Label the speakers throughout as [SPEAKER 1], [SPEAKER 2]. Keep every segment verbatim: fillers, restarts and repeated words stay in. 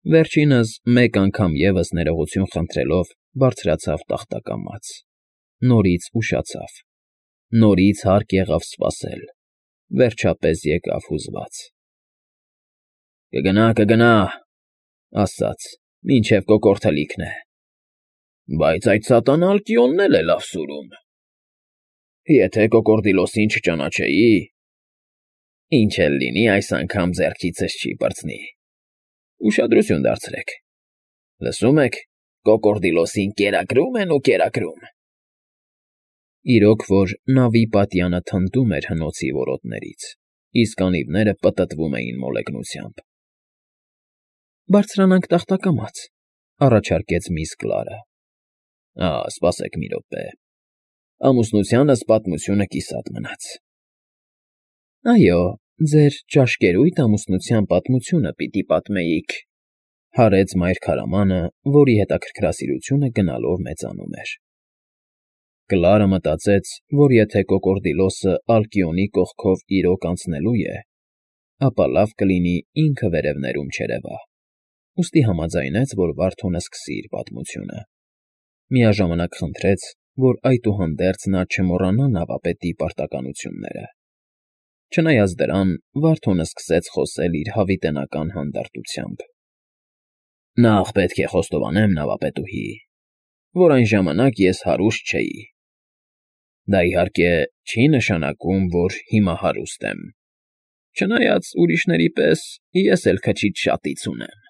[SPEAKER 1] Վերջինս մեկ անգամ ևս ներողություն խնդրելով բարձրացավ տախտակամաց, նորից ուշացավ, նորից հարկ եղավ սպասել, վերջապես եկավ հուզված։ ֊ Կգնա, կգնա,֊ ասաց,֊ մինչև կոկորդելիքն է։ Բայց այդ սատանա Ալկիոնն էլ է լավ սուրում… Եթե Կոկորդիլոսին չճանաչեի… Ինչ էլ լինի, այս անգամ ձեռքիցս չի պրծնի… Ուշադրություն դարձրեք… Լսում եք, Կոկորդիլոսին կերակրում են ու կերակրում… Իրոք որ նավի պատյանը թնդում էր հնոցի որոտներից, իսկ անիվները պտտվում էին մոլեգնությամբ։ ֊ Բարձրանանք տախտակամաց,֊ առաջարկեց միս Կլարը։ ֊ Սպասեք մի րոպե… Ամուսնությանս պատմությունը կիսատ մնաց… ֊ Այո, ձեր ճաշկերույթ ամուսնության պատմությունը պիտի պատմեիք,֊ հարեց մայրքարամանը, որի հետաքրքրասիրությունը գնալով մեծանում էր։ Կլարը մտածեց, որ եթե Կոկորդիլոսը Ալկիոնի կողքով իրոք անցնելու է, ապա լավ կլինի ինքը վերևներում չերևա, ուստի համաձայնեց, որ Վարդոնը սկսի իր պատմությունը, միաժամանակ խնդրեց, որ այդուհանդերձ նա չմոռանա նավապետի պարտականությունները։ Չնայած դրան, Վարդոնը սկսեց խոսել իր հավիտենական հանդարտությամբ. Նախ պետք է խոստովանեմ, նավապետուհի, որ այն ժամանակ ես հարուստ չէի… Դա, իհարկե, չի նշանակում, որ հիմա հարուստ եմ, չնայած ուրիշների պես ես էլ քչից շատից ունեմ…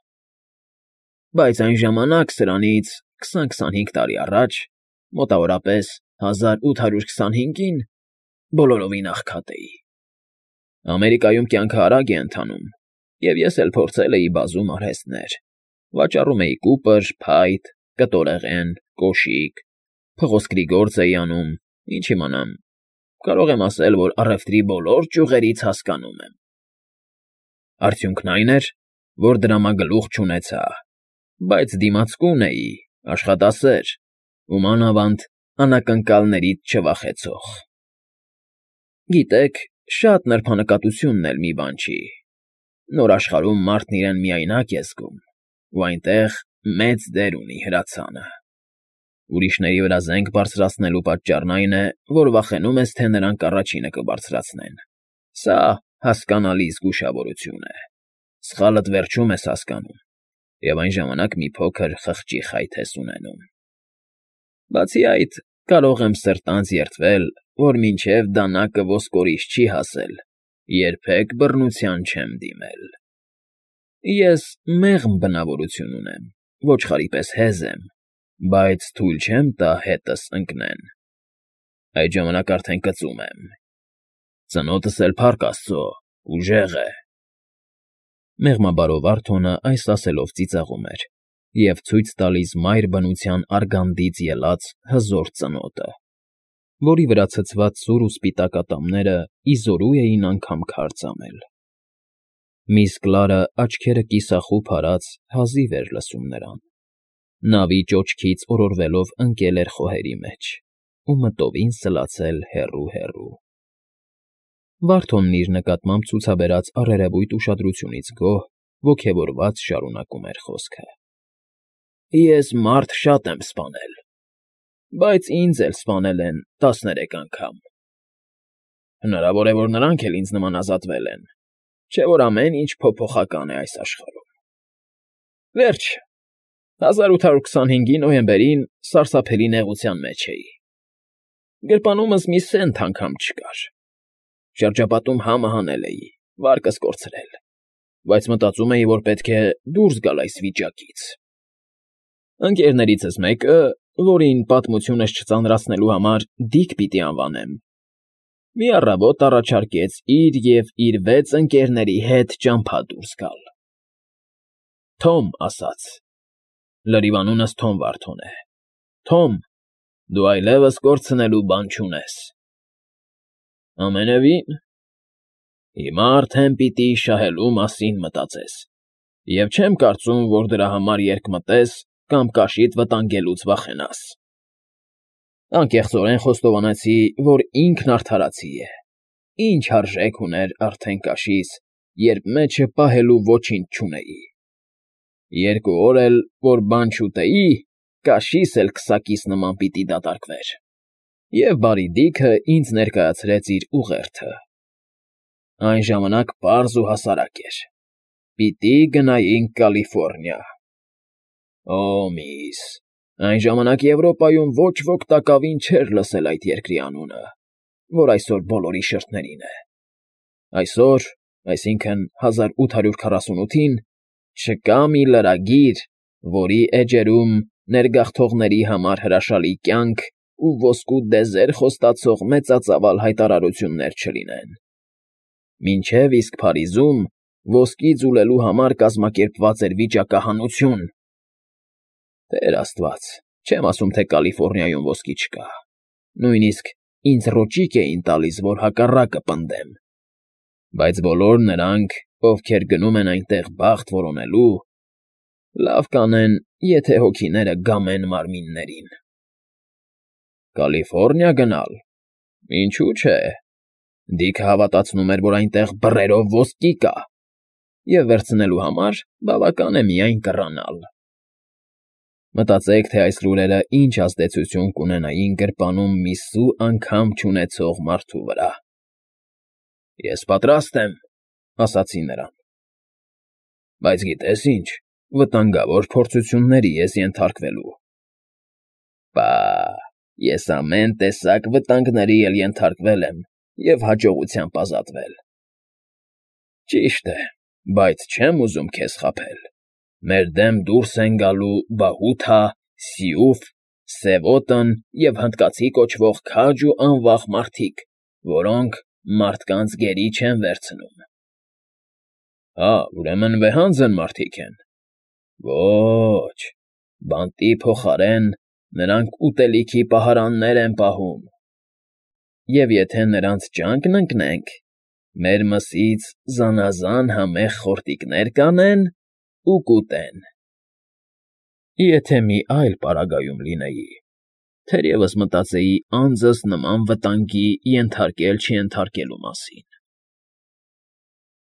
[SPEAKER 1] Բայց այն ժամանակ, սրանից քսան֊քսանհինգ տարի առաջ, մոտավորապես հազար ութ հարյուր քսանհինգին, բոլորովին աղքատ էի… Ամերիկայում կյանքը արագ է ընթանում, և ես էլ փորձել էի բազում արհեստներ, վաճառում էի կուպր, փայտ, կտորեղեն, կոշիկ, փղոսկրի գործ էի անում, ինչ իմանամ, կարող եմ ասել, որ առևտրի բոլոր ճյուղերից հասկանում եմ… Արդյունքն այն էր, որ դրամագլուխ չունեցա, բայց դիմացկուն էի, աշխատասեր ու, մանավանդ, անակնկալներից չվախեցող… Գիտեք, շատ նրբանկատությունն էլ մի բան չի, նոր աշխարհում մարդն իրեն միայնակ է զգում, ու այնտեղ մեծ դեր ունի հրացանը… Ուրիշների վրա զենք բարձրացնելու պատճառն այն է, որ վախենում ես, թե նրանք առաջինը կբարձրացնեն… Սա հասկանալի զգուշավորություն է, սխալդ վերջում ես հասկանում, և այն ժամանակ մի փոքր խղճի խայթ ես ունենում… Բացի այդ, կարող եմ սրտանց երդվել, որ մինչև դանակը ոսկորից չի հասել, երբեք բռնության չեմ դիմել… Ես մեղմ բնավորություն ունեմ, ոչխարի պես հեզ եմ, բայց թույլ չեմ տա հետս ընկնեն… Այդ ժամանակ արդեն կծում եմ… Ծնոտս էլ, փառք աստծո, ուժեղ է… Մեղմաբարո Վարդոնը այս ասելով ծիծաղում էր և ցույց տալիս մայր բնության արգանդից ելած հզոր ծնոտը, որի վրա ցցված սուր ու սպիտակ ատամները ի զորու էին անգամ քար ծամել… Միս Կլարը աչքերը կիսախուփ արած հազիվ էր լսում նրան, նավի ճոճքից օրորվելով ընկել էր խոհերի մեջ ու մտովին սլացել հեռու֊հեռու… Վարդոնն իր նկատմամբ ցուցաբերած առերևույթ ուշադրությունից գոհ, ոգևորված շարունակում էր խոսքը. Ես մարդ շատ եմ սպանել, բայց ինձ էլ սպանել են տասներեք անգամ… Հնարավոր է, որ նրանք էլ ինձ նման ազատվել են, չէ՞ որ ամեն ինչ փոփոխական է այս աշխարհում… Վերջ, հազար ութ հարյուր քսանհինգի նոյեմբերին սարսափելի նեղության մեջ էի… Գրպանումս մի սենթ անգամ չկար… Շրջապատում համը հանել էի, վարկս կորցրել, բայց մտածում էի, որ պետք է դուրս գալ այս վիճակից… Ընկերներիցս մեկը, որին պատմությունս չծանրացնելու համար Դիք պիտի անվանեմ, մի առավոտ առաջարկեց իր և իր վեց ընկերների հետ ճամփա դուրս գալ… Թոմ ասաց. լրիվ անունս Թոմ Վարդոն է, Թոմ, դու այլևս կորցնելու բան չունես… Ամենևին… Հիմա արդեն պիտի շահելու մասին մտածես և չեմ կարծում, որ դրա համար երկմտես կամ կաշիդ վտանգելուց վախենաս… Անկեղծորեն խոստովանեցի, որ ինքն արդարացի է, ինչ արժեք ուներ արդեն կաշիս, երբ մեջը պահելու ոչինչ չունեի… Երկու օր էլ, որ բան չուտեի, կաշիս էլ քսակիս նման պիտի դատարկվեր։ Եվ բարի դիքը ինձ ներկայացրեց իր ուղերձը։ Այն ժամանակ պարզ ու հասարակ էր. պիտի գնայինք Կալիֆոռնիա։ Օ, միս, այն ժամանակ Եվրոպայում ոչ ոք տակավին չէր լսել այդ երկրի անունը, որ այսօր բոլորի շրթերին է։ Այսօր, այսինքն հազար ութ հարյուր քառասունութին, չկա մի լրագիր, որի էջերում ներգաղթողների համար հրաշալի կյանք ու ոսկու դեզեր խոստացող մեծածավալ հայտարարություններ չլինեն։ Մինչև իսկ Փարիզում ոսկի ձուլելու համար կազմակերպված էր վիճակահանություն։ Տեր Աստված, չեմ ասում, թե Կալիֆոռնիայում ոսկի չկա։ Նույնիսկ ինձ ռոճիկ էին տալիս, որ հակառակը պնդեմ։ Բայց բոլոր նրանք, ովքեր գնում են այնտեղ բախտ որոնելու, լավ կանեն, եթե հոգիները գամեն մարմիններին։ Կալիֆոռնիա գնալ։ Ինչու՞ չէ։ Դիքը հավատացնում էր, որ այնտեղ բռերով ոսկի կա, և վերցնելու համար բավական է միայն կռանալ։ Մտածեք, թե այս լուրերը ինչ ազդեցություն կունենային գրպանում մի սու անգամ չունեցող մարդու վրա։ Ես պատրաստ եմ, ասացի նրան։ Բայց գիտես ինչ, վտանգավոր փորձությունների ես ենթարկվելու։ Պա, ես ամեն տեսակ վտանգների էլ ենթարկվել եմ և հաջողությամբ ազատվել։ Ճիշտ է, բայց չեմ ուզում քեզ խաբել։ Մեր դեմ դուրս են գալու Բահութա, Սիուֆ, Սևոտն և հնդկացի կոչվող քաջ ու անվախ մարդիկ, որոնք մարդկանց գերի չեն վերցնում։ Հա, ուրեմն վեհանձն մարդիկ են։ Ոչ, բանտի փոխարեն նրանք ուտելիքի պահարաններ են պահում։ Եվ եթե նրանց ճանկն ընկնենք, մեր մսից զանազան համեղ խորտիկներ կանեն ու կուտեն։ Եթե մի այլ պարագայում լինեի, թերևս մտածեի անձս նման վտանգի ենթարկել֊չենթարկելու մասին։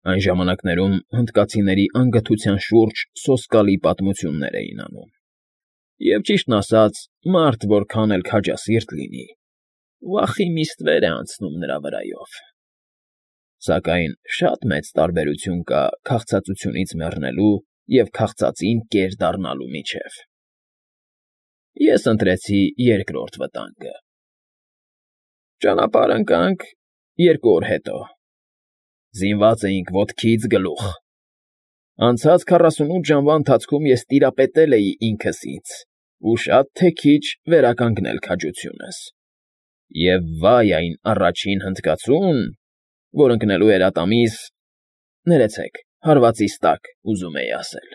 [SPEAKER 1] Այն ժամանակներում հնդկացիների անգթության շուրջ սոսկալի պատմություններ էին անում, և ճիշտն ասած, մարդ որքան էլ քաջասիրտ լինի, վախի միստվեր է անցնում նրա վրայով։ Սակայն շատ մեծ տարբերություն կա քաղցածությունից մեռնելու և քաղցածին կեր դառնալու միջև։ Ես ընտրեցի երկրորդ վտանգը։ Ճանապարհ ընկանք երկու օր հետո։ Զինված էինք ոտքից գլուխ։ Անցած քառասունութ ժամվա ընթացքում ես տիրապետել էի ինքս ինձ ու շատ թե քիչ վերականգնել քաջությունս։ Եվ վայ այն առաջին հնդկացուն, որ ընկնելու էր ատամիս, ներեցեք, հարվածիս տակ, ուզում էի ասել։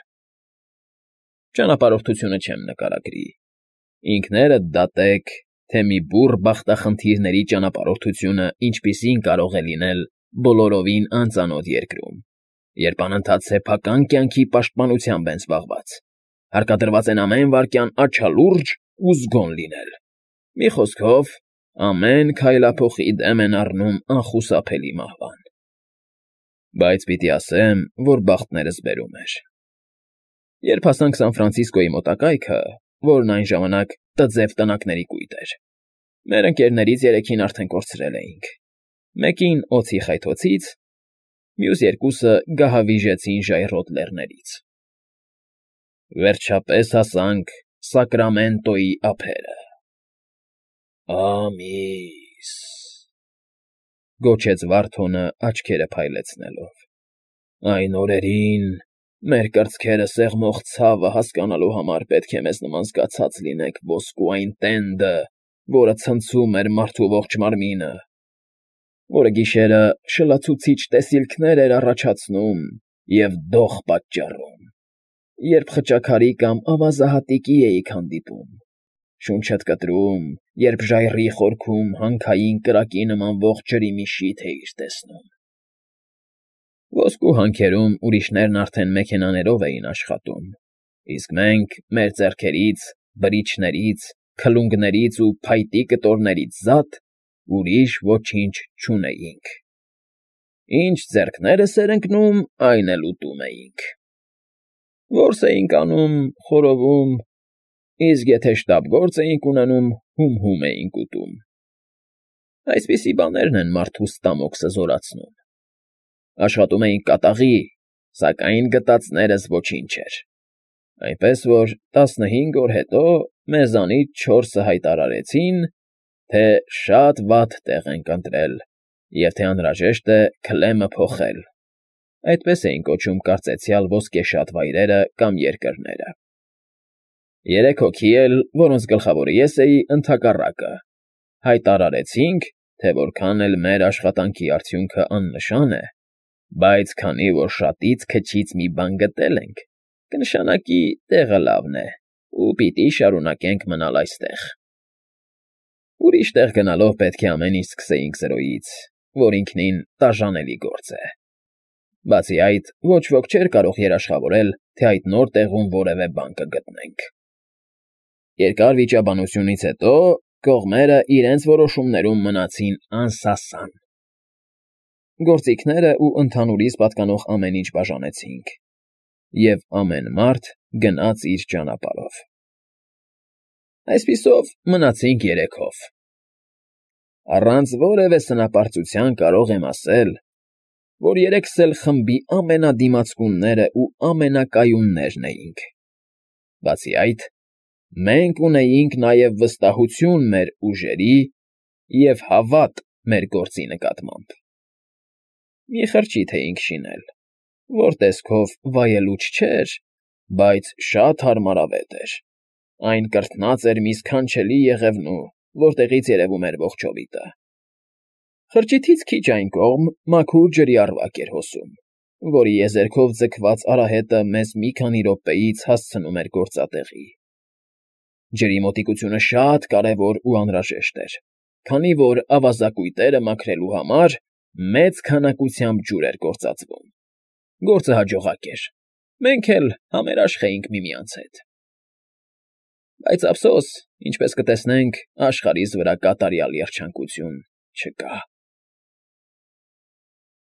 [SPEAKER 1] Ճանապարհորդությունը չեմ նկարագրի։ Ինքներդ դատեք, թե մի բուռ բախտախնդիրների ճանապարհորդությունը ինչպիսին կարող է լինել բոլորովին անծանոթ երկրում, երբ անընդհատ սեփական կյանքի պաշտպանությամբ են զբաղված, հարկադրված են ամեն վայրկյան աչալուրջ ու զգոն լինել։ Մի խոսքով, ամեն քայլափոխի դեմ են առնում անխուսափելի մահվան։ Բայց պիտի ասեմ, որ բախտներս բերում էր։ Երբ հասանք Սան Ֆրանցիսկոյի մոտակայքը, որն այն ժամանակ տձև տնակների կույտ էր, մեր ընկերներից երեքին արդեն կորցրել էինք։ Մեկին օձի խայթոցից, մյուս երկուսը գահավիժեցին ժայռոտ լեռներից։ Վերջապես հասանք Սակրամենտոյի ափերը։ Ամիս, գոչեց Վարդոնը աչքերը փայլեցնելով։ Այն օրերին մեր կրծքերը սեղմող ցավը հասկանալու համար պետք է մեզ նման զգացած լինենք ոսկու այն տենդը, որը ցնցում էր մարդու ողջ մարմինը, որը գիշերը շլացուցիչ տեսիլքներ էր առաջացնում և դող պատճառում, երբ խճաքարի կամ ավազահատիկի էիք հանդիպում, շունչդ կտրում, երբ ժայռի խորքում հանքային կրակի նման ողջ ջրի մի շիթ էիր տեսնում։ Ոսկու հանքերում ուրիշներն արդեն մեքենաներով էին աշխատում, իսկ մենք մեր ձեռքերից, բրիչներից, քլունգներից ու փայտի կտորներից զատ ուրիշ ոչինչ չունեինք։ Ինչ ձեռքներս էր ընկնում, այն էլ ուտում էինք։ Որս էինք անում, խորովում, իսկ եթե շտապ գործ էինք ունենում, հում֊հում էինք ուտում։ Այսպիսի բաներն են մարդու ստամոքսը զորացնում։ Աշխատում էինք կատաղի, սակայն գտածներս ոչինչ էր, այնպես որ տասնհինգ օր հետո մեզանից չորսը հայտարարեցին, թե շատ վատ տեղ ենք ընտրել և թե անհրաժեշտ է քլեմը փոխել. այդպես էին կոչում կարծեցյալ ոսկեշատ վայրերը կամ երկրները։ Երեք հոգի էլ, որոնց գլխավորը ես էի, ընդհակառակը, հայտարարեցինք, թե որքան էլ մեր աշխատանքի արդյունքը աննշան է, բայց քանի որ շատից քչից մի բան գտել ենք, կնշանակի տեղը լավն է ու պիտի շարունակենք մնալ այստեղ։ Ուրիշ տեղ գնալով պետք է ամեն ինչ սկսեինք զրոյից, որ ինքնին տաժանելի գործ է։ Բացի այդ, ոչ ոք չէր կարող երաշխավորել, թե այդ նոր տեղում որևէ բան կգտնենք։ Երկար վիճաբանությունից հետո կողմերը իրենց որոշումներում մնացին անսասան։ Գործիքները ու ընդհանուրից պատկանող ամեն ինչ բաժանեցինք, և ամեն մարդ գնաց իր ճանապարհով։ Այսպիսով մնացինք երեքով։ Առանց որևէ սնապարծության կարող եմ ասել, որ երեքս էլ խմբի ամենադիմացկունները ու ամենակայուններն էինք։ Բացի այդ, մենք ունեինք նաև վստահություն մեր ուժերի և հավատ մեր գործի նկատմամբ։ Մի խրճիթ էինք շինել, որ տեսքով վայելուչ չէր, բայց շատ հարմարավետ էր. այն կրթնած էր մի սքանչելի եղևնու, որտեղից երևում էր ողջովիտը։ Խրճիթից քիչ այն կողմ մաքուր ջրի առվակ էր հոսում, որի եզերքով ձգված արահետը մեզ մի քանի րոպեից հասցնում էր գործատեղի։ Ջրի մոտիկությունը շատ կարևոր ու անհրաժեշտ էր, քանի որ ավազակույտերը մաքրելու համար մեծ քանակությամբ ջուր էր գործածվում։ Գործը հաջողակ էր, մենք էլ համերաշխ էինք միմյանց հետ։ Բայց ափսոս, ինչպես կտեսնենք, աշխարհիս վրա կատարյալ երջանկություն չկա։